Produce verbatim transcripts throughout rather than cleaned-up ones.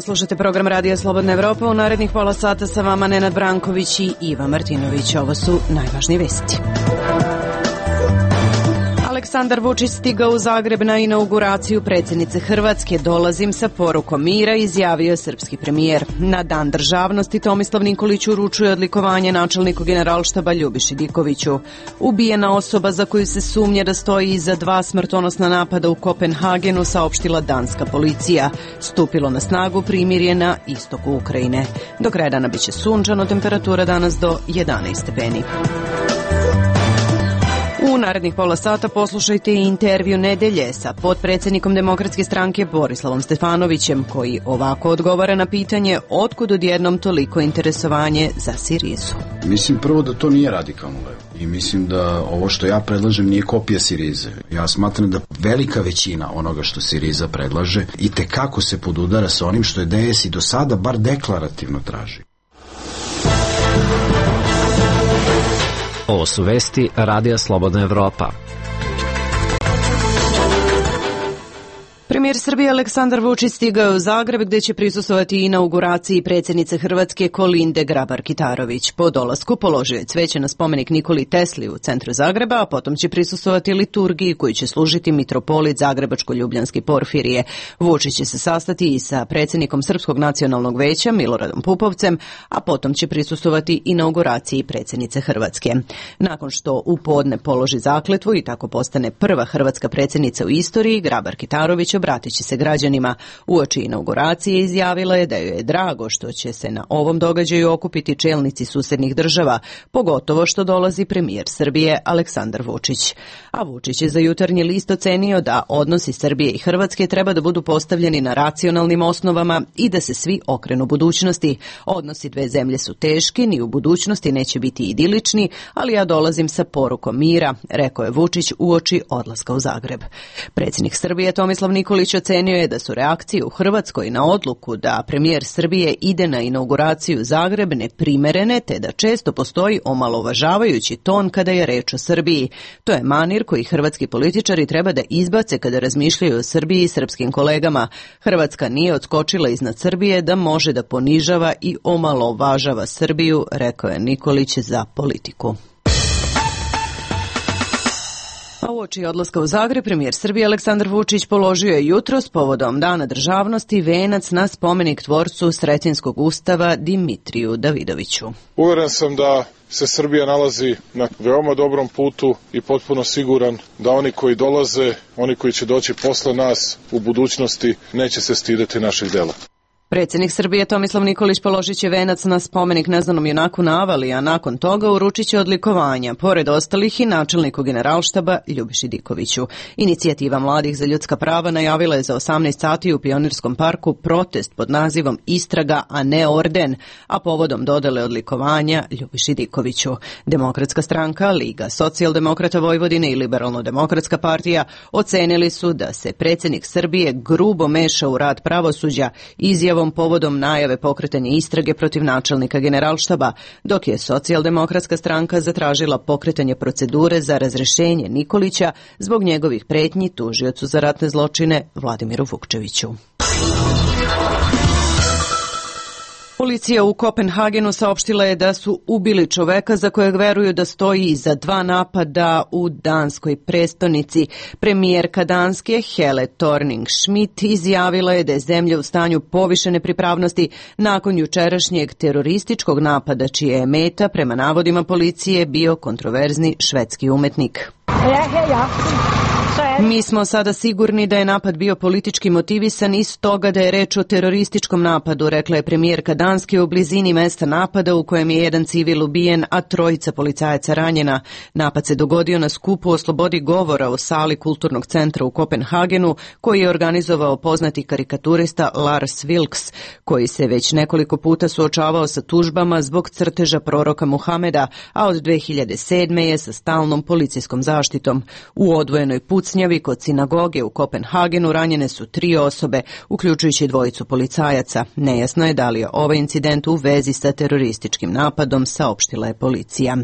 dan, slušate program Radija Slobodna Evropa. U narednih pola sata sa vama Nenad Branković i Iva Martinović. Ovo su najvažnije vesti. Aleksandar Vučić stigao u Zagreb na inauguraciju predsjednice Hrvatske. Dolazim sa porukom mira, izjavio srpski premijer. Na dan državnosti Tomislav Nikolić uručuje odlikovanje načelniku Generalštaba Ljubiši Dikoviću. Ubijena osoba za koju se sumnja da stoji iza dva smrtonosna napada u Kopenhagenu, saopštila danska policija. Stupilo na snagu primirje na istoku Ukrajine. Do kraja dana biće sunčano, temperatura danas do jedanaest stepeni. U narednih pola sata poslušajte intervju nedelje sa potpredsjednikom Demokratske stranke Borislavom Stefanovićem, koji ovako odgovara na pitanje otkud odjednom toliko interesovanje za Sirizu. Mislim prvo da to nije radikalno levo i mislim da ovo što ja predlažem nije kopija Sirize. Ja smatram da velika većina onoga što Siriza predlaže i tekako se podudara sa onim što je D S i do sada bar deklarativno traži. Ovo su vesti Radija Slobodna Evropa. Premijer Srbije Aleksandar Vučić stigao u Zagreb gdje će prisustvovati inauguraciji predsjednice Hrvatske Kolinde Grabar-Kitarović. Po dolasku položio je cveće na spomenik Nikoli Tesli u centru Zagreba, a potom će prisustvovati liturgiji koju će služiti mitropolit Zagrebačko-Ljubljanski Porfirije. Vučić će se sastati i sa predsjednikom Srpskog nacionalnog veća Miloradom Pupovcem, a potom će prisustvovati inauguraciji predsjednice Hrvatske. Nakon što u podne položi zakletvu i tako postane prva hrvatska predsjednica u istoriji, Grabar-Kitarović obratit će se građanima. Uoči inauguracije izjavila je da joj je drago što će se na ovom događaju okupiti čelnici susednih država, pogotovo što dolazi premijer Srbije Aleksandar Vučić. A Vučić je za Jutarnji list ocenio da odnosi Srbije i Hrvatske treba da budu postavljeni na racionalnim osnovama i da se svi okrenu budućnosti. Odnosi dve zemlje su teški, ni u budućnosti neće biti idilični, ali ja dolazim sa porukom mira, rekao je Vučić uoči odlaska u Zagreb. Predsjednik Srbije Tomislav Nikolić ocenio je da su reakcije u Hrvatskoj na odluku da premijer Srbije ide na inauguraciju Zagreb neprimerene, te da često postoji omalovažavajući ton kada je reč o Srbiji. To je manir koji hrvatski političari treba da izbace kada razmišljaju o Srbiji i srpskim kolegama. Hrvatska nije odskočila iznad Srbije da može da ponižava i omalovažava Srbiju, rekao je Nikolić za Politiku. A uoči odlaska u Zagreb, premijer Srbije Aleksandar Vučić položio je jutros povodom Dana državnosti venac na spomenik tvorcu Sretenskog ustava Dimitriju Davidoviću. Uveren sam da se Srbija nalazi na veoma dobrom putu i potpuno siguran da oni koji dolaze, oni koji će doći posle nas u budućnosti, neće se stideti naših dela. Predsjednik Srbije Tomislav Nikolić položit će venac na spomenik neznanom junaku na Avali, a nakon toga uručit će odlikovanja, pored ostalih i načelniku Generalštaba Ljubiši Dikoviću. Inicijativa mladih za ljudska prava najavila je za osamnaest sati u Pionirskom parku protest pod nazivom Istraga, a ne orden, a povodom dodele odlikovanja Ljubiši Dikoviću. Demokratska stranka, Liga socijaldemokrata Vojvodine i Liberalno-demokratska partija ocenili su da se predsjednik Srbije grubo meša u rad pravosuđa izjavom povodom najave pokretanja istrage protiv načelnika Generalštaba, dok je socijaldemokratska stranka zatražila pokretanje procedure za razrešenje Nikolića zbog njegovih pretnji tužiocu za ratne zločine Vladimiru Vukčeviću. Policija u Kopenhagenu saopštila je da su ubili čoveka za kojeg veruju da stoji iza dva napada u danskoj prestonici. Premijerka Danske Helle Thorning-Schmidt izjavila je da je zemlja u stanju povišene pripravnosti nakon jučerašnjeg terorističkog napada, čije je meta, prema navodima policije, bio kontroverzni švedski umetnik. Mi smo sada sigurni da je napad bio politički motivisan i stoga da je reč o terorističkom napadu, rekla je premijerka Danske u blizini mesta napada u kojem je jedan civil ubijen, a trojica policajaca ranjena. Napad se dogodio na skupu o slobodi govora u sali Kulturnog centra u Kopenhagenu, koji je organizovao poznati karikaturista Lars Vilks, koji se već nekoliko puta suočavao sa tužbama zbog crteža proroka Muhameda, a od dve hiljade sedme je sa stalnom policijskom zaštitom zaštitom. U odvojenoj pucnjavi kod sinagoge u Kopenhagenu ranjene su tri osobe, uključujući dvojicu policajaca. Nejasno je da li je ovaj incident u vezi sa terorističkim napadom, saopštila je policija.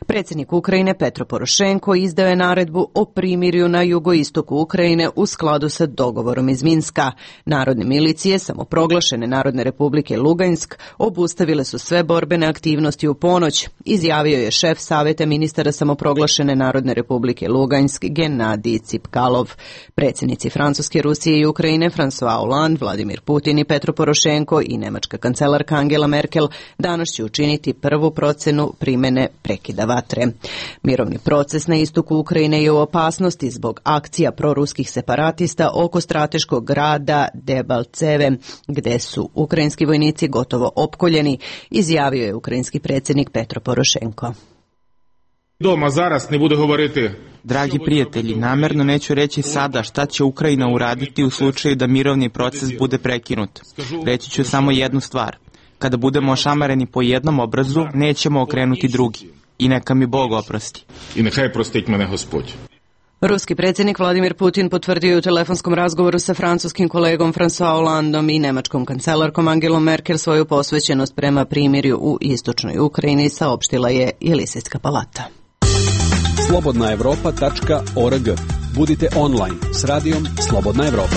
Predsjednik Ukrajine Petro Porošenko izdao je naredbu o primirju na jugoistoku Ukrajine u skladu sa dogovorom iz Minska. Narodne milicije samoproglašene Narodne republike Lugansk obustavile su sve borbene aktivnosti u ponoć, izjavio je šef Saveta ministara samoproglašene Narodne republike Lugansk Genadij Cipkalov. Predsjednici Francuske, Rusije i Ukrajine François Hollande, Vladimir Putin i Petro Porošenko i nemačka kancelarka Angela Merkel danas će učiniti prvu procenu primene prekida vatre. Mirovni proces na istoku Ukrajine je u opasnosti zbog akcija proruskih separatista oko strateškog grada Debalceve, gde su ukrajinski vojnici gotovo opkoljeni, izjavio je ukrajinski predsjednik Petro Porošenko. Doma zaraz ne bude govoriti. Dragi prijatelji, namerno neću reći sada šta će Ukrajina uraditi u slučaju da mirovni proces bude prekinut. Reći ću samo jednu stvar. Kada budemo ošamareni po jednom obrazu, nećemo okrenuti drugi. I neka mi Bog oprosti. I nehaj prostit mene Gospod. Ruski predsjednik Vladimir Putin potvrdio u telefonskom razgovoru sa francuskim kolegom François Hollandom i nemačkom kancelarkom Angelom Merkel svoju posvećenost prema primirju u istočnoj Ukrajini, saopštila je Jelisejska palata. slobodna evropa tačka org. Budite online s radijom Slobodna Evropa.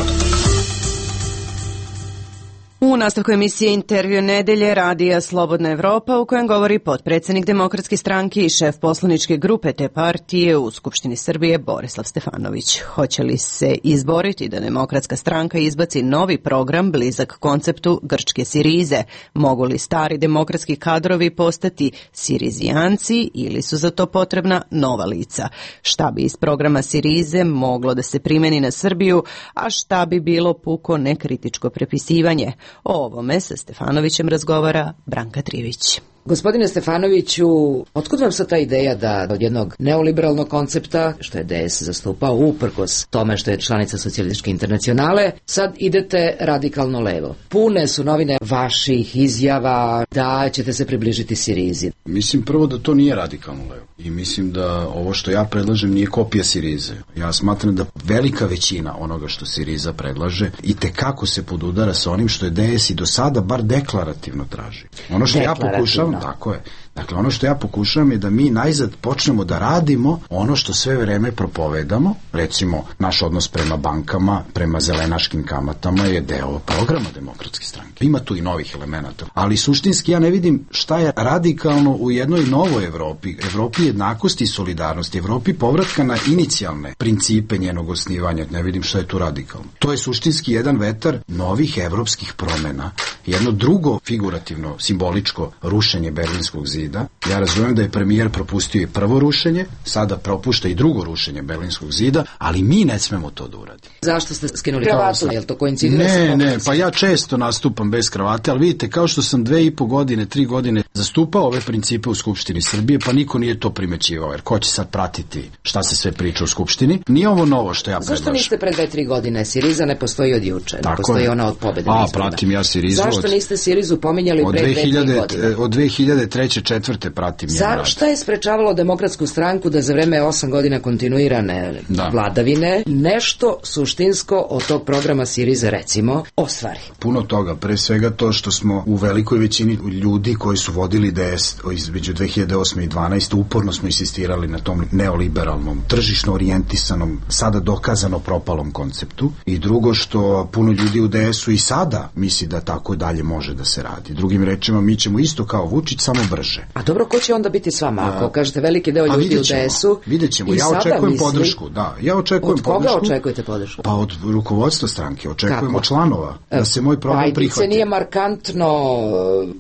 U nastavku emisije Intervju nedelje radija Slobodna Evropa, u kojem govori potpredsjednik Demokratske stranke i šef poslaničke grupe te partije u Skupštini Srbije Borislav Stefanović. Hoće li se izboriti da Demokratska stranka izbaci novi program blizak konceptu grčke Sirize? Mogu li stari demokratski kadrovi postati Sirizijanci ili su za to potrebna nova lica? Šta bi iz programa Sirize moglo da se primeni na Srbiju, a šta bi bilo puko nekritičko prepisivanje? O ovome sa Stefanovićem razgovara Branka Trivić. Gospodine Stefanoviću, otkud vam sad ta ideja da od jednog neoliberalnog koncepta, što je D S zastupao uprkos tome što je članica Socijalističke internacionale, sad idete radikalno levo? Pune su novine vaših izjava da ćete se približiti Sirizi. Mislim prvo da to nije radikalno levo i mislim da ovo što ja predlažem nije kopija Sirize. Ja smatram da velika većina onoga što Siriza predlaže i tekako se podudara sa onim što je D S i do sada bar deklarativno traži. Ono što ja pokušavam, tako je. Dakle, ono što ja pokušavam je da mi najzad počnemo da radimo ono što sve vreme propovedamo, recimo naš odnos prema bankama, prema zelenaškim kamatama je deo programa Demokratske stranke. Ima tu i novih elemenata, ali suštinski ja ne vidim šta je radikalno u jednoj novoj Evropi, Evropi jednakosti i solidarnosti, Evropi povratka na inicijalne principe njenog osnivanja, ne vidim šta je tu radikalno. To je suštinski jedan vetar novih evropskih promena, jedno drugo figurativno, simboličko rušenje Berlinskog zida. Ja razumijem da je premijer propustio i prvo rušenje, sada propušta i drugo rušenje Berlinskog zida, ali mi ne smemo to da uradimo. Zašto ste skinuli kravatu? Je li to koincidira? Ne, ne, pa ja često nastupam bez kravate, ali vidite, kao što sam dve i po godine, tri godine zastupao ove principe u Skupštini Srbije, pa niko nije to primećivao, jer ko će sad pratiti šta se sve priča u Skupštini? Nije ovo novo što ja predlažem. Zašto niste pre dve, tri godine? Siriza ne postoji od juče, ne postoji ona od pobede. A, pratim ja Sirizu. Zašto niste Sirizu pominjali pre dve, tri godine? Od dve hiljade treće četvrte pratim njen rad. Šta je sprečavalo Demokratsku stranku da za vreme osam godina kontinuirane da. vladavine nešto suštinsko od tog programa Sirize, recimo, ostvari? Puno toga, pre svega to što smo u velikoj većini ljudi koji su vodili D S između dve hiljade osme i dvanaeste uporno smo insistirali na tom neoliberalnom, tržišno orijentisanom, sada dokazano propalom konceptu, i drugo što puno ljudi u D S-u i sada misli da tako dalje može da se radi. Drugim rečima, mi ćemo isto kao Vučić, samo brže. A dobro, ko će onda biti s vama? Ako kažete veliki deo ljudi u D S-u, vidjet ćemo. Ja očekujem misli, podršku. Da, ja očekujem od koga podršku. očekujete podršku? Pa od rukovodstva stranke. Očekujemo od članova da se moj program Pajdice prihvati. nije markantno,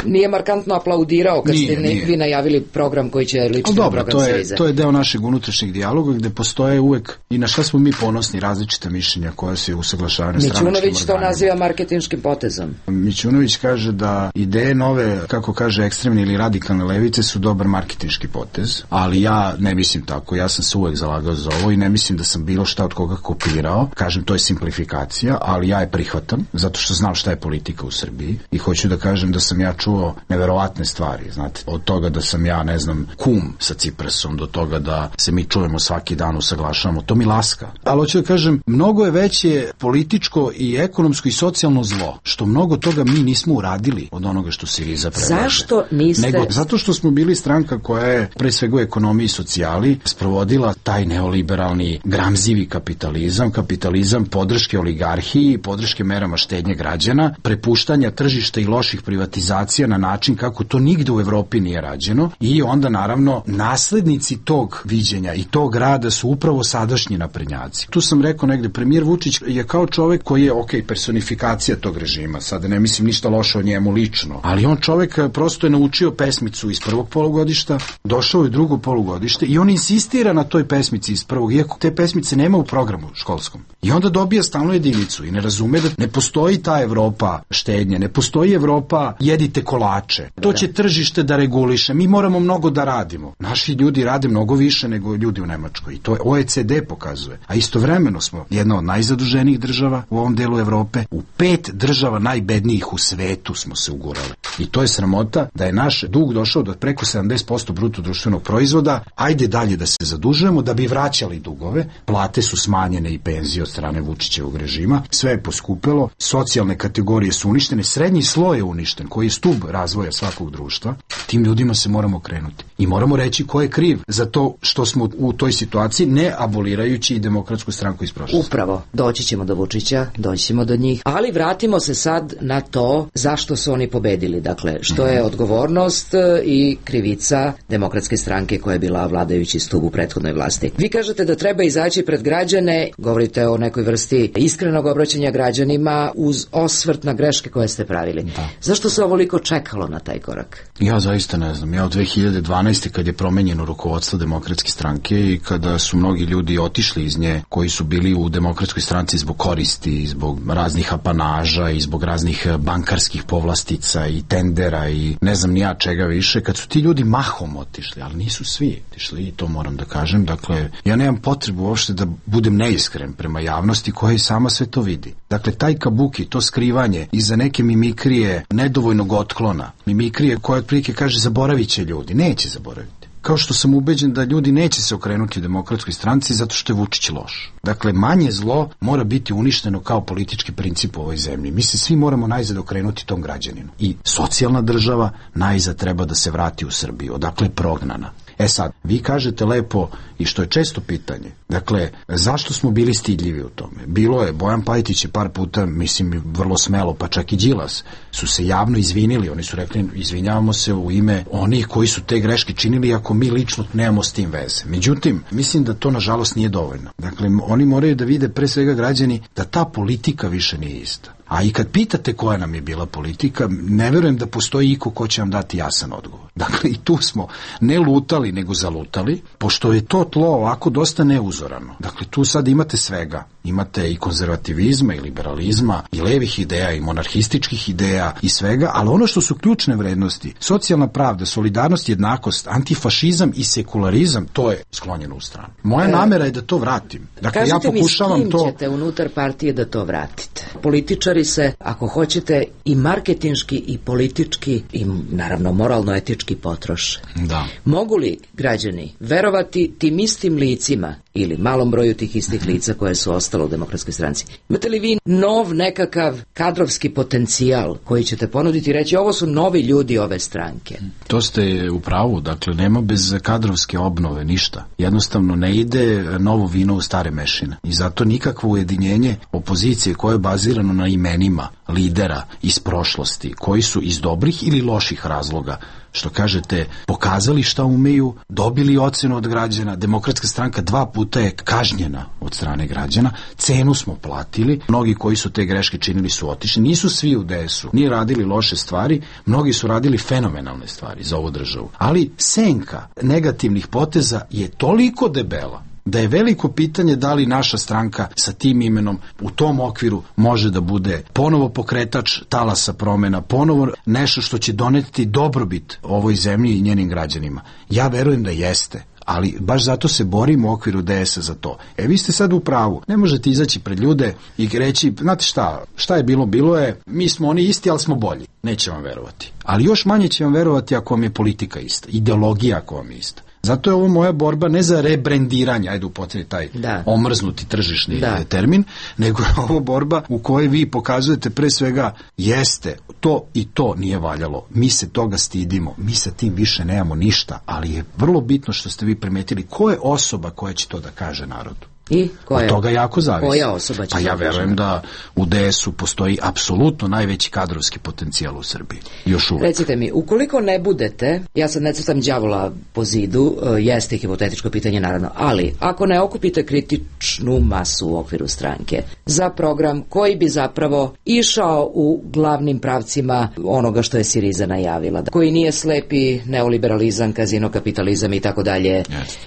nije markantno aplaudirao kad nije, ste nije. vi najavili program koji će ličiti na program to je, Sirize. to je deo našeg unutrašnjeg dijaloga gde postoje uvek i na šta smo mi ponosni različita mišljenja koja se usaglašavaju na stranačkim organima. Mićunović to naziva marketinškim potezom. Mićunović kaže da ideje nove, kako kaže, ekstremne ili radikalne levice su dobar marketinški potez, ali ja ne mislim tako, ja sam se uvek zalagao za ovo i ne mislim da sam bilo šta od koga kopirao, kažem to je simplifikacija, ali ja je prihvatam, zato što znam šta je politika u Srbiji i hoću da kažem da sam ja čuo neverovatne stvari, znate, od toga da sam ja, ne znam, kum sa Ciprasom, do toga da se mi čujemo svaki dan, usaglašavamo, to mi laska. Ali hoću da kažem, mnogo je veće političko i ekonomsko i socijalno zlo, što mnogo toga mi nismo uradili od onoga što Siriza predlaže. Zašto niste? Nego, zato što smo bili stranka koja je, pre svega u ekonomiji i socijali, sprovodila taj neoliberalni gramzivi kapitalizam, kapitalizam podrške oligarhiji, podrške merama štednje građana, prepuštanja tržišta i loših privatizacija na način kako to nigde u Evropi nije rađeno i onda naravno naslednici tog viđenja i tog rada su upravo sadašnji naprednjaci. Tu sam rekao negde, premijer Vučić je kao čovek koji je, ok, personifikacija tog režima, sada ne mislim ništa loše o njemu lično, ali on čovek prosto je naučio pesmicu iz prvog polugodišta, došao je drugo polugodište i on insistira na toj pesmici iz prvog, iako te pesmice nema u programu školskom. I onda dobija stalnu jedinicu i ne razume da ne postoji ta Evropa štednje, ne postoji Evropa jedite kolače. To će tržište da reguliše, mi moramo mnogo da radimo. Naši ljudi rade mnogo više nego ljudi u Nemačkoj i to O E C D pokazuje. A istovremeno smo jedna od najzaduženijih država u ovom delu Evrope, u pet država najbednijih u svetu smo se ugurali. I to je sramota da je naš dug došao do preko sedamdeset posto bruto društvenog proizvoda, ajde dalje da se zadužujemo da bi vraćali dugove, plate su smanjene i penzije od strane Vučićevog režima, sve je poskupelo, socijalne kategorije su uništene, srednji sloj je uništen, koji je stub razvoja svakog društva, tim ljudima se moramo krenuti. I moramo reći ko je kriv za to što smo u toj situaciji, ne abolirajući i Demokratsku stranku iz prošlosti. Upravo, doći ćemo do Vučića, doći ćemo do njih, ali vratimo se sad na to zašto su oni pobedili, dakle, što je odgovornost i krivica Demokratske stranke koja je bila vladajući stub u prethodnoj vlasti. Vi kažete da treba izaći pred građane, govorite o nekoj vrsti iskrenog obraćanja građanima uz osvrt na greške koje ste pravili. Da. Zašto se ovoliko čekalo na taj korak? Ja zaista ne znam. Ja od dve hiljade dvanaeste kad je promenjeno rukovodstvo Demokratske stranke i kada su mnogi ljudi otišli iz nje koji su bili u Demokratskoj stranci zbog koristi, zbog raznih apanaža i zbog raznih bankarskih povlastica i tendera i ne znam ni ja čega više, kad su ti ljudi mahom otišli, ali nisu svi otišli i to moram da kažem. Dakle, ja nemam potrebu uopšte da budem neiskren prema javnosti koja i sama sve to vidi. Dakle, taj kabuki, to skrivanje iza neke mimikrije nedovoljnog otklona, mimikrije koja otprilike kaže zaboravit će ljudi, neće zaboraviti. Kao što sam ubeđen da ljudi neće se okrenuti Demokratskoj stranci zato što je Vučić loš. Dakle, manje zlo mora biti uništeno kao politički princip u ovoj zemlji. Mi se svi moramo najzad okrenuti tom građaninu. I socijalna država najzad treba da se vrati u Srbiju, odakle je prognana. E sad, vi kažete lepo, i što je često pitanje, dakle, zašto smo bili stidljivi u tome? Bilo je, Bojan Pajtić je par puta, mislim, vrlo smelo, pa čak i Đilas, su se javno izvinili, oni su rekli, izvinjavamo se u ime onih koji su te greške činili, ako mi lično nemamo s tim veze. Međutim, mislim da to nažalost nije dovoljno. Dakle, oni moraju da vide, pre svega građani, da ta politika više nije ista. A i kad pitate koja nam je bila politika, ne verujem da postoji iko ko će vam dati jasan odgovor. Dakle, i tu smo ne lutali, nego zalutali, pošto je to tlo ovako dosta neuzorano. Dakle, tu sad imate svega. Imate i konzervativizma, i liberalizma, i levih ideja, i monarhističkih ideja, i svega, ali ono što su ključne vrednosti, socijalna pravda, solidarnost, jednakost, antifašizam i sekularizam, to je sklonjeno u stranu. Moja e, namera je da to vratim. Dakle, kažete ja pokušavam mi s kim to... ćete unutar partije da to vratite? Političari se, ako hoćete, i marketinški, i politički, i naravno moralno-etički potroše. Da. Mogu li građani verovati tim istim licima ili malom broju tih istih lica koje su ostalo u Demokratskoj stranci? Imate li vi nov nekakav kadrovski potencijal koji ćete ponuditi i reći ovo su novi ljudi ove stranke? To ste u pravu, dakle nema bez kadrovske obnove ništa. Jednostavno ne ide novo vino u stare mešine i zato nikakvo ujedinjenje opozicije koje je bazirano na imenima lidera iz prošlosti koji su iz dobrih ili loših razloga, što kažete, pokazali šta umeju, dobili ocenu od građana. Demokratska stranka dva puta je kažnjena od strane građana, cenu smo platili, mnogi koji su te greške činili su otišli, nisu svi u D S-u, nije radili loše stvari, mnogi su radili fenomenalne stvari za ovu državu, ali senka negativnih poteza je toliko debela da je veliko pitanje da li naša stranka sa tim imenom u tom okviru može da bude ponovo pokretač talasa promena, ponovo nešto što će doneti dobrobit ovoj zemlji i njenim građanima. Ja verujem da jeste, ali baš zato se borimo u okviru D S-a za to. E, vi ste sad u pravu. Ne možete izaći pred ljude i reći, znate šta, šta je bilo, bilo je, mi smo oni isti, ali smo bolji. Neće vam verovati. Ali još manje će vam verovati ako vam je politika ista, ideologija ako vam je ista. Zato je ovo moja borba ne za rebrendiranje, ajde upotrebi taj da. omrznuti tržišni da. termin, nego je ovo borba u kojoj vi pokazujete pre svega jeste, to i to nije valjalo. Mi se toga stidimo, mi sa tim više nemamo ništa, ali je vrlo bitno što ste vi primetili ko je osoba koja će to da kaže narodu. I koja? Od toga jako zavisi. Koja osoba će? Pa ja verujem da u D S-u postoji apsolutno najveći kadrovski potencijal u Srbiji. Još uvek. Recite mi, ukoliko ne budete, ja sad ne crtam đavola po zidu, jeste hipotetičko pitanje naravno, ali ako ne okupite kritičnu masu u okviru stranke za program koji bi zapravo išao u glavnim pravcima onoga što je Siriza najavila, koji nije slepi neoliberalizam, kazino kapitalizam i tako dalje.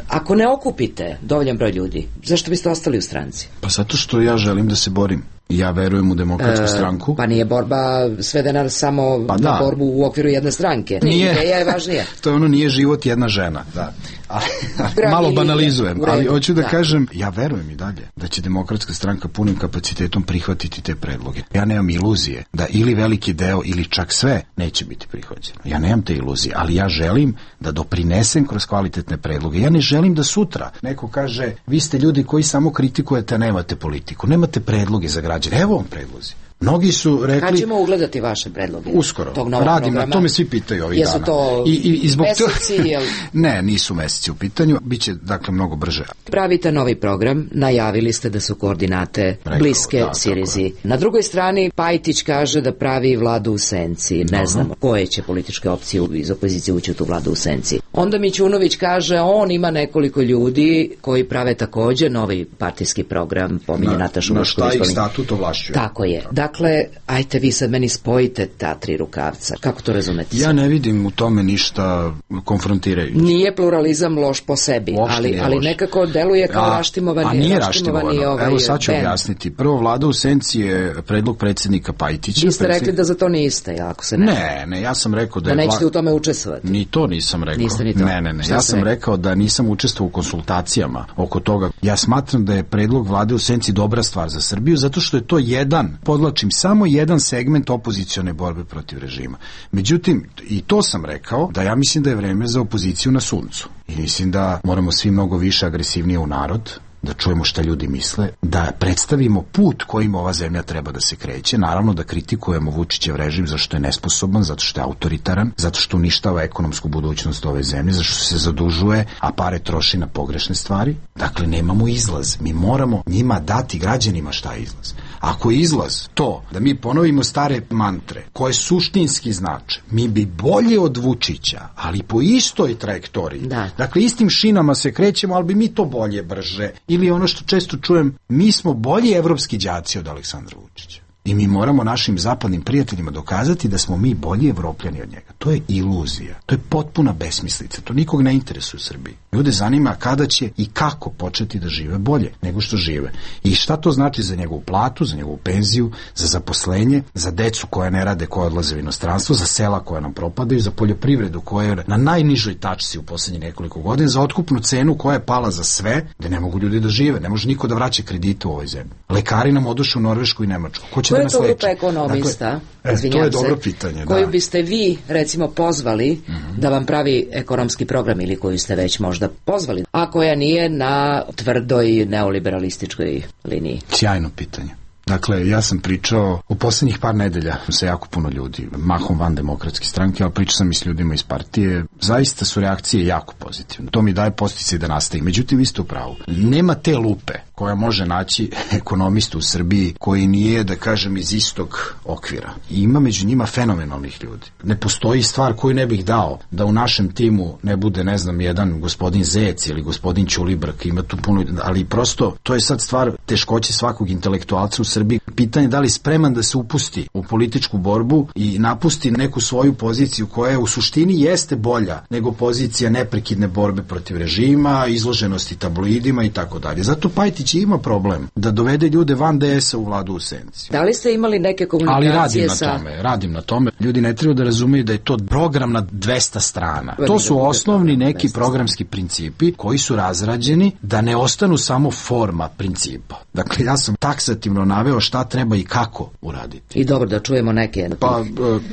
Ako ne okupite dovoljan broj ljudi, zašto biste ostali u stranci? Pa zato što ja želim da se borim. Ja verujem u demokratsku e, stranku. Pa nije borba svedena samo pa na da. borbu u okviru jedne stranke. Nije. Ideja je važnija. To je ono, nije život jedna žena. Da. Ali, ali, malo banalizujem, ali hoću da, da kažem, ja verujem i dalje da će demokratska stranka punim kapacitetom prihvatiti te predloge. Ja nemam iluzije da ili veliki deo ili čak sve neće biti prihvaćeno. Ja nemam te iluzije, ali ja želim da doprinesem kroz kvalitetne predloge. Ja ne želim da sutra neko kaže, vi ste ljudi koji samo kritikujete, a nemate politiku, nemate predloge za građane. Evo vam predlozi. Mnogi su rekli... Kad ćemo ugledati vaše predloge? Uskoro. Radim, na to me svi pitaju ovih Jesu dana. To I, i, i zbog meseci? To... Jel... ne, nisu meseci u pitanju. Biće, dakle, mnogo brže. Pravite novi program, najavili ste da su koordinate Rekao, bliske da, Sirizi. Na drugoj strani, Pajtić kaže da pravi vladu u senci. Ne Dobro. znamo koje će političke opcije iz opozicije ući u tu vladu u senci. Onda Mićunović kaže, on ima nekoliko ljudi koji prave takođe novi partijski program, pominje na, Natašu Na šta ih statut ovlašćuje. Tako je. Dakle, ajte vi sad meni spojite ta tri rukavca. Kako to razumete? Ja ne vidim u tome ništa konfrontirajuće. Nije pluralizam loš po sebi, ali, ali nekako deluje kao a, raštimovani. A nije raštimovani. Ovaj Evo sad ću ben. objasniti. Prvo, vlada u senci je predlog predsjednika Pajtića. Vi ste predsjednik... rekli da za to niste, ako se ne... Ne, ne, ja sam rekao da... Da je nećete vla... u tome učestvovati. Ni to nisam rekao. Niste ni to. Ne, ne, ne. Šta ja sam rekao? rekao da nisam učestvovao u konsultacijama oko toga. Ja smatram da je predlog vlade u senci dobra stvar za Srbiju, zato što je to jedan, podlačim, samo jedan segment opozicione borbe protiv režima. Međutim, i to sam rekao, da ja mislim da je vreme za opoziciju na suncu. I mislim da moramo svi mnogo više agresivnije u narod, da čujemo šta ljudi misle, da predstavimo put kojim ova zemlja treba da se kreće, naravno da kritikujemo Vučićev režim zašto je nesposoban, zato što je autoritaran, zato što uništava ekonomsku budućnost ove zemlje, zato što se zadužuje, a pare troši na pogrešne stvari. Dakle, nemamo izlaz. Mi moramo njima dati, građanima, šta je izlaz. Ako je izlaz to da mi ponovimo stare mantre koje suštinski znače, mi bi bolje od Vučića, ali po istoj trajektoriji. Da. Dakle, istim šinama se krećemo, ali bi mi to bolje, brže. Ili ono što često čujem, mi smo bolji evropski đaci od Aleksandra Vučića. I mi moramo našim zapadnim prijateljima dokazati da smo mi bolji Evropljani od njega. To je iluzija. To je potpuna besmislica. To nikog ne interesuje u Srbiji. Ljude zanima kada će i kako početi da žive bolje nego što žive. I šta to znači za njegovu platu, za njegovu penziju, za zaposlenje, za decu koja ne rade, koja odlaze u inostranstvo, za sela koja nam propadaju, za poljoprivredu koja je na najnižoj tačci u poslednjih nekoliko godina, za otkupnu cenu koja je pala za sve, da ne mogu ljudi da žive. Ne može niko da vraća kredite u ovoj zemlji. Lekari nam odošu u Norvešku i Nemačku. Ko će da nas leči? Koja je to grupa ekonomista, dakle, e, to je dobro pitanje, da. Koju biste vi, recimo, pozvali mm-hmm. da vam pravi ekonomski program ili koju ste već možda pozvali, a koja nije na tvrdoj neoliberalističkoj liniji? Sjajno pitanje. Dakle, ja sam pričao u poslednjih par nedelja sa jako puno ljudi, mahom van demokratske stranke, ali pričao sam i s ljudima iz partije. Zaista su reakcije jako pozitivne. To mi daje posticaj da nastavi. Međutim, vi ste u pravu. Nema te lupe koja može naći ekonomistu u Srbiji koji nije, da kažem, iz istog okvira. I ima među njima fenomenalnih ljudi. Ne postoji stvar koju ne bih dao da u našem timu ne bude, ne znam, jedan gospodin Zec ili gospodin Ćulibrk, ima tu puno, ali prosto to je sad stvar teškoće svakog intelektualca u Srbiji. Pitanje da li spreman da se upusti u političku borbu i napusti neku svoju poziciju koja u suštini jeste bolja bolja nego pozicija neprekidne borbe protiv režima, izloženosti tabloidima i tako dalje. Zato Pajtić ima problem da dovede ljude van de esa u vladu u senci. Da li ste imali neke komunikacije Ali radim sa... na tome, radim na tome. Ljudi ne treba da razumeju da je to program na dvesta strana. To su osnovni neki programski principi koji su razrađeni da ne ostanu samo forma principa. Dakle, ja sam taksativno naveo šta treba i kako uraditi. I dobro, da čujemo neke... Pa,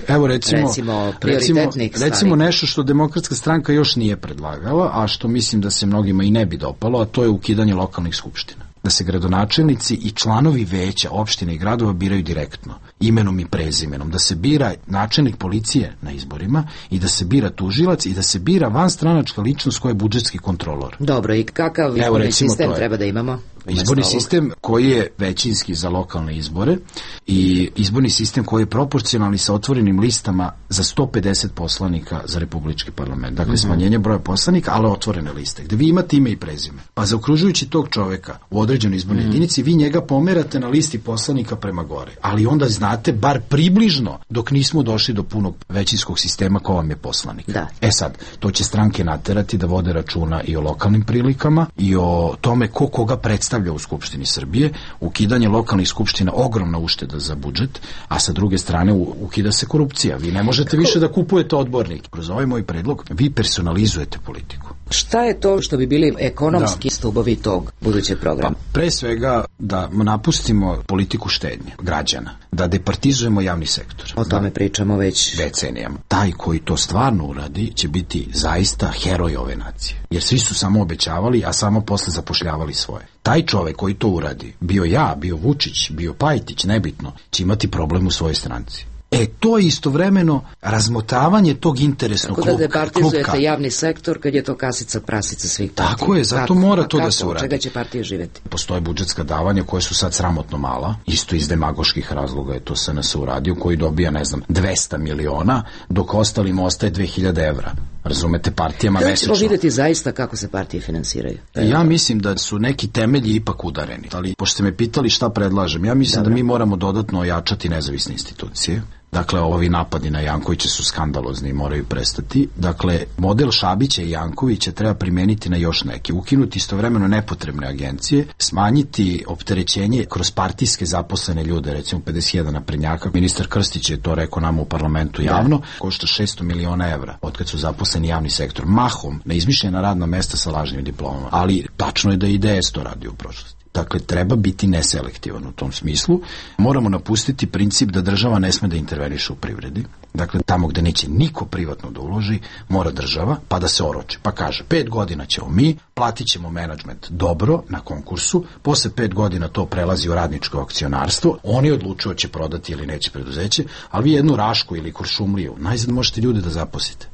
evo recimo, recimo prioritetnih recimo, recimo nešto što Demokratska stranka još nije predlagala, a što mislim da se mnogima i ne bi dopalo, a to je ukidanje lokalnih skupština. Da se gradonačelnici i članovi veća opštine i gradova biraju direktno, imenom i prezimenom, da se bira načelnik policije na izborima i da se bira tužilac i da se bira vanstranačka ličnost koja je budžetski kontrolor. Dobro, i kakav izborni sistem treba da imamo? Izborni sistem koji je većinski za lokalne izbore i izborni sistem koji je proporcionalni sa otvorenim listama za sto pedeset poslanika za republički parlament. Dakle, smanjenje broja poslanika, ali otvorene liste, gde vi imate ime i prezime. Pa zaokružujući tog čoveka u određenoj izbornoj jedinici, vi njega pomerate na listi poslanika prema gore. Ali onda znate, bar približno, dok nismo došli do punog većinskog sistema ko vam je poslanik. Da. E sad, to će stranke naterati da vode računa i o lokalnim prilikama i o tome ko koga predstavlja u Skupštini Srbije. Ukidanje lokalnih skupština ogromna ušteda za budžet, a sa druge strane ukida se korupcija. Vi ne možete više da kupujete odbornike. Kroz ovaj moj predlog vi personalizujete politiku. Šta je to što bi bili ekonomski da. stubovi tog budućeg programa? Pa, pre svega da napustimo politiku štednje građana, da departizujemo javni sektor. O tome da, pričamo već decenijama. Taj koji to stvarno uradi će biti zaista heroj ove nacije. Jer svi su samo obećavali, a samo posle zapošljavali svoje. Taj čovek koji to uradi, bio ja, bio Vučić, bio Pajtić, nebitno, će imati problem u svojoj stranci. E, to je istovremeno razmotavanje tog interesnog klubka. Tako da departizujete javni sektor kad je to kasica prasica svih partija. Tako je, zato kako, mora to da se uradi. Od čega će partije živeti? Postoje budžetska davanja koje su sad sramotno mala, isto iz demagoških razloga je to S N S uradio, koji dobija, ne znam, dvesta miliona, dok ostalima ostaje dve hiljade evra. Razumete, partijama da mesečno. Da ćemo vidjeti zaista kako se partije finansiraju. Ja mislim da su neki temelji ipak udareni. Ali, pošto ste me pitali šta predlažem, ja mislim Dobre. da mi moramo dodatno ojačati nezavisne institucije. Dakle, ovi napadi na Jankovića su skandalozni i moraju prestati. Dakle, model Šabića i Jankovića treba primeniti na još neke. Ukinuti istovremeno nepotrebne agencije, smanjiti opterećenje kroz partijske zaposlene ljude, recimo pedeset jedan naprednjaka. Ministar Krstić je to rekao nama u parlamentu javno, da. košta šesto miliona evra otkad su zaposleni javni sektor. Mahom na izmišljena radna mesta sa lažnim diplomama. Ali tačno je da i D S to radi u prošlosti. Dakle, treba biti neselektivan u tom smislu. Moramo napustiti princip da država ne sme da interveniše u privredi. Dakle, tamo gde neće niko privatno da uloži, mora država, pa da se oroči. Pa kaže, pet godina ćemo mi, platit ćemo menadžment dobro na konkursu, posle pet godina to prelazi u radničko akcionarstvo, oni odlučuju će prodati ili neće preduzeće, ali vi jednu Rašku ili Kuršumliju, najzad možete ljude da zaposlite.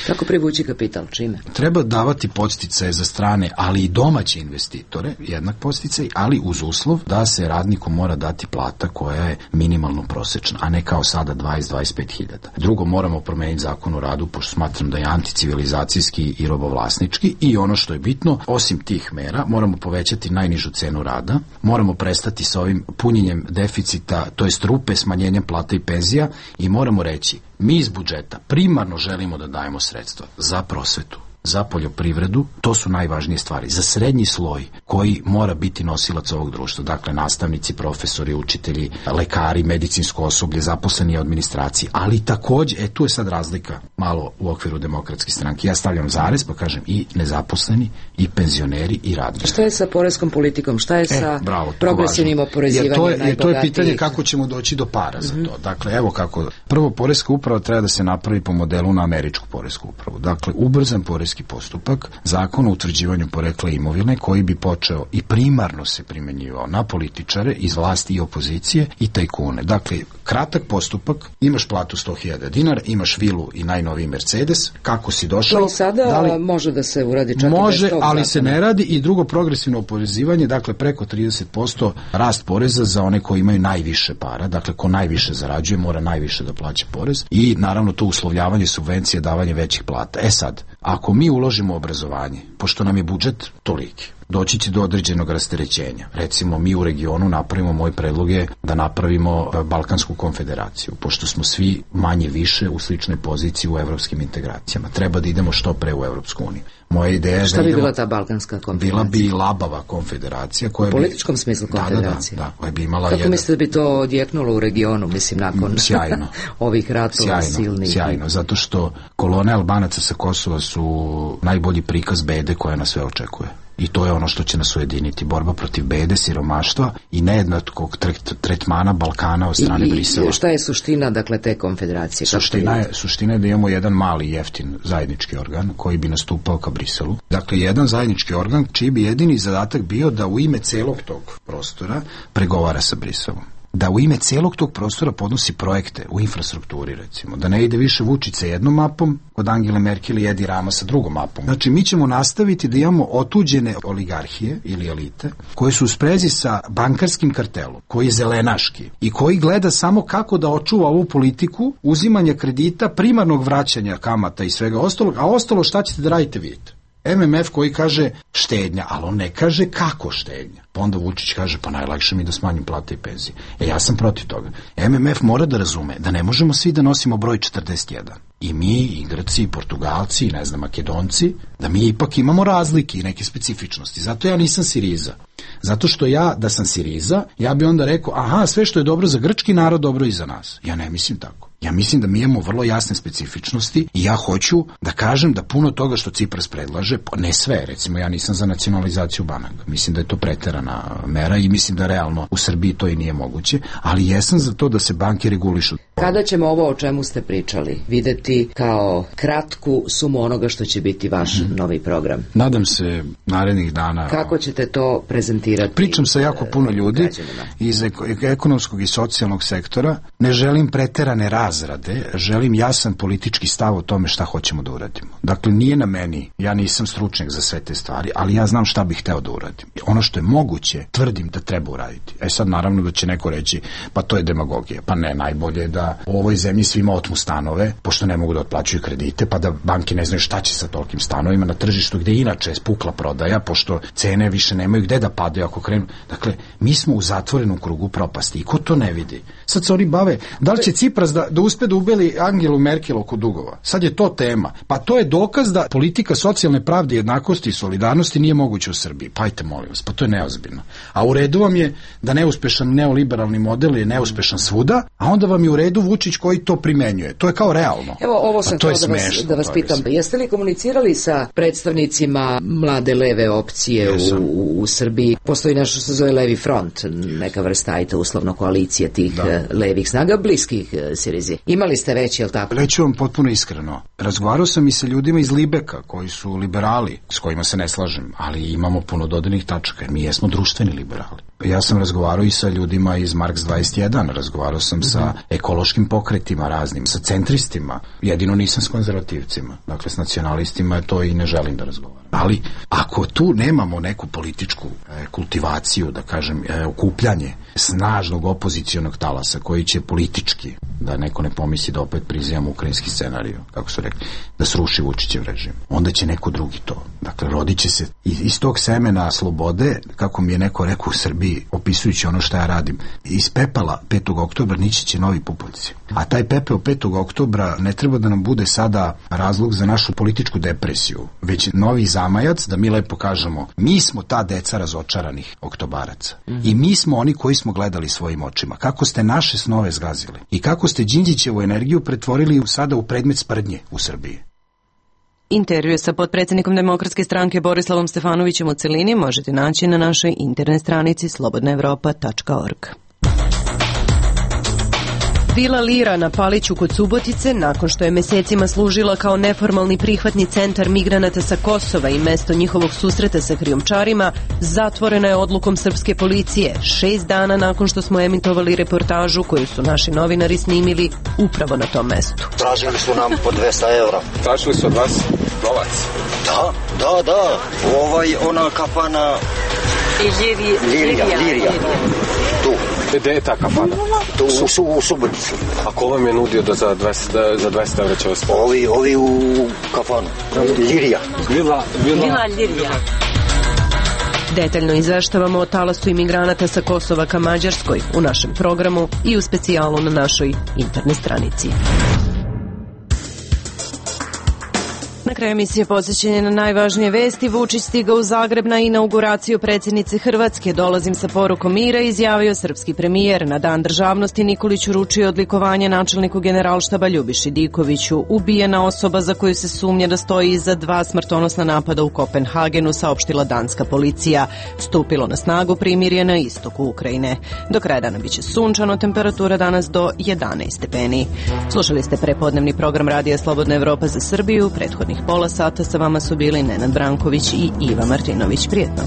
Kako privući kapital? Čime? Treba davati podsticaje za strane, ali i domaće investitore, jednak podsticaj, ali uz uslov da se radniku mora dati plata koja je minimalno prosečna, a ne kao sada dvadeset do dvadeset pet hiljada. Drugo, moramo promeniti zakon o radu, pošto smatram da je anticivilizacijski i robovlasnički, i ono što je bitno, osim tih mera, moramo povećati najnižu cenu rada, moramo prestati sa ovim punjenjem deficita, to jest rupe, smanjenjem plata i penzija, i moramo reći, mi iz budžeta primarno želimo da dajemo sredstva za prosvetu, za poljoprivredu, to su najvažnije stvari, za srednji sloj koji mora biti nosilac ovog društva, dakle nastavnici, profesori, učitelji, lekari, medicinsko osoblje, zaposleni u administraciji, ali takođe, e tu je sad razlika malo u okviru Demokratske stranke, ja stavljam zarez pa kažem i nezaposleni, i penzioneri, i radnici. Šta je sa poreskom politikom, šta je e, sa bravo, progresivnim oporezivanjem najbogatijih? To je pitanje kako ćemo doći do para za to. Dakle, evo kako, prvo, poreska uprava treba da se napravi po modelu na američku poresku upravu, dakle, ubrzan poreski postupak, zakon o utvrđivanju porekla imovine koji bi počeo i primarno se primenjivao na političare iz vlasti i opozicije i tajkune. Dakle, kratak postupak, imaš platu sto hiljada dinara, imaš vilu i najnoviji Mercedes, kako si došao? To i sada da li, može da se uradi čak može, i bez tog ali zakona. Se ne radi. I drugo, progresivno oporezivanje, dakle preko trideset posto rast poreza za one koji imaju najviše para, dakle ko najviše zarađuje mora najviše da plaća porez, i naravno to uslovljavanje subvencije, davanje većih plata. E sad, ako mi uložimo u obrazovanje, pošto nam je budžet toliki, doći će do određenog rasterećenja. Recimo, mi u regionu napravimo, moj predlog je da napravimo Balkansku konfederaciju, pošto smo svi manje više u sličnoj poziciji u evropskim integracijama. Treba da idemo što pre u Evropsku uniju. Moja ideja je šta da bi idemo, bila ta Balkanska konfederacija? Bila bi labava konfederacija. Koja u političkom bi, smislu konfederacije? Da, da, da, koja bi imala kako jedan... mislite da bi to odjeknulo u regionu, mislim, nakon sjajno. ovih ratova sjajno, silnih? Sjajno, zato što kolone Albanaca sa Kosova su najbolji prikaz bede koja nas sve očekuje. I to je ono što će nas ujediniti. Borba protiv bede, siromaštva i nejednakog tretmana Balkana od strane I, Brisela. I šta je suština, dakle, te konfederacije? Suština je, suština je da imamo jedan mali, jeftin zajednički organ koji bi nastupao ka Briselu. Dakle, jedan zajednički organ čiji bi jedini zadatak bio da u ime celog tog prostora pregovara sa Briselom. Da u ime celog tog prostora podnosi projekte u infrastrukturi, recimo. Da ne ide više Vučić sa jednom mapom, kod Angele Merkel i Edi Rama sa drugom mapom. Znači, mi ćemo nastaviti da imamo otuđene oligarhije ili elite, koje su u sprezi sa bankarskim kartelom, koji je zelenaški i koji gleda samo kako da očuva ovu politiku uzimanja kredita, primarnog vraćanja kamata i svega ostalog, a ostalo šta ćete da radite vidite. M M F koji kaže štednja, ali on ne kaže kako štednja. Pa onda Vučić kaže, pa najlakše mi da smanjim plate i penzije. E, ja sam protiv toga. M M F mora da razume da ne možemo svi da nosimo broj četrdeset jedan. I mi, i Grci, i Portugalci, i ne znam, Makedonci, da mi ipak imamo razlike i neke specifičnosti. Zato ja nisam Siriza. Zato što ja, da sam Siriza, ja bi onda rekao, aha, sve što je dobro za grčki narod, dobro i za nas. Ja ne mislim tako. Ja mislim da mi imamo vrlo jasne specifičnosti i ja hoću da kažem da puno toga što Cipras predlaže, ne sve, recimo ja nisam za nacionalizaciju banaka. Mislim da je to preterana mera i mislim da realno u Srbiji to i nije moguće, ali jesam za to da se banke regulišu. Kada ćemo ovo o čemu ste pričali videti kao kratku sumu onoga što će biti vaš mm-hmm. novi program? Nadam se narednih dana. Kako ćete to prezentirati? Pričam sa jako puno ljudi građanima iz ekonomskog i socijalnog sektora. Ne želim preterane razrade, želim jasan politički stav o tome šta hoćemo da uradimo. Dakle, nije na meni, ja nisam stručnjak za sve te stvari, ali ja znam šta bih hteo da uradim. Ono što je moguće, tvrdim da treba uraditi. E sad, naravno da će neko reći, pa to je demagogija. Pa ne, najbolje je da u ovoj zemlji svima otmu stanove, pošto ne mogu da otplaćuju kredite, pa da banke ne znaju šta će sa tolikim stanovima na tržištu gde inače je spukla prodaja, pošto cene više nemaju gde da padaju ako krenu. Dakle, mi smo u zatvorenom krugu propasti i ko to ne vidi? Sad se oni bave, da li će Cipras da, da uspe da ubeli Angelu Merkel oko dugova? Sad je to tema. Pa to je dokaz da politika socijalne pravde, jednakosti i solidarnosti nije moguća u Srbiji. Pa ajte, molim vas, pa to je neozbiljno. A u redu vam je da neuspešan neoliberalni model je neuspešan svuda, a onda vam je u redu Vučić koji to primenjuje. To je kao realno. Evo, ovo sam htjela da vas, da vas pitam. Jeste li komunicirali sa predstavnicima mlade leve opcije u, u Srbiji? Postoji nešto što se zove Levi front, neka vrsta, ajte, uslovno koalicije tih da. levih snaga, bliskih Sirizi. Imali ste već, je li tako? Reću vam potpuno iskreno. Razgovarao sam i sa ljudima iz Libeka, koji su liberali, s kojima se ne slažem, ali imamo puno dodanih tačaka. Mi jesmo društveni liberali. Ja sam razgovarao i sa ljudima iz Marks dvadeset jedan, razgovarao sam mm-hmm. sa ekološkim pokretima raznim, sa centristima, jedino nisam s konzervativcima. Dakle, s nacionalistima to i ne želim da razgovaram. Ali, ako tu nemamo neku političku e, kultivaciju, da kažem, e, okupljanje snažnog opozicionog talasa koji će politički, da neko ne pomisli da opet prizivamo ukrajinski scenariju, kako su rekli, da sruši Vučićev režim, onda će neko drugi to. Dakle, rodit će se iz, iz tog semena slobode, kako mi je neko rekao u Srbiji, opisujući ono što ja radim, iz pepela petog oktobra nići će novi pupovci. A taj pepeo petog oktobra ne treba da nam bude sada razlog za našu političku depresiju, već novi zamajac da mi lepo kažemo, mi smo ta deca razočaranih oktobaraca. Mm-hmm. I mi smo oni koji smo gledali svojim očima. Kako ste naše snove zgazili i kako ste Đinđićevu energiju pretvorili sada u predmet sprdnje u Srbiji. Intervju sa potpredsjednikom Demokratske stranke Borislavom Stefanovićem u celini možete naći na našoj internet stranici slobodna evropa tačka org. Vila Lira na Paliću kod Subotice, nakon što je mesecima služila kao neformalni prihvatni centar migranata sa Kosova i mesto njihovog susreta sa krijumčarima, zatvorena je odlukom srpske policije, šest dana nakon što smo emitovali reportažu koju su naši novinari snimili upravo na tom mestu. Tražili su nam po dvesta evra. Tražili su od vas novac? Da, da, da. Ovaj, ona kafana... Lirija. Lirija, Lirija. Tu. Gde je ta kafana? To u, su, u Subotici. A ko vam je nudio da za dvesta, za dvesta evra će vas pomoći? Ovi, ovi u kafanu. Lirija. Vila, vila. Vila Lirija. Detaljno izveštavamo o talasu imigranata sa Kosova ka Mađarskoj u našem programu i u specijalu na našoj internet stranici. Na kraju emisije posjećenje na najvažnije vesti. Vučić stigao u Zagreb na inauguraciju predsjednice Hrvatske. Dolazim sa porukom mira, izjavio srpski premijer. Na dan državnosti Nikolić uručio odlikovanje načelniku generalštaba Ljubiši Dikoviću. Ubijena osoba za koju se sumnja da stoji iza dva smrtonosna napada u Kopenhagenu, saopštila danska policija. Stupilo na snagu primirje na istoku Ukrajine. Do kraja dana biće sunčano, temperatura danas do jedanaest stepeni. Slušali ste prepodnevni program Radija Slobodna Evropa za Srbiju. Prethodnih pola sata sa vama su bili Nenad Branković i Iva Martinović. Prijetno.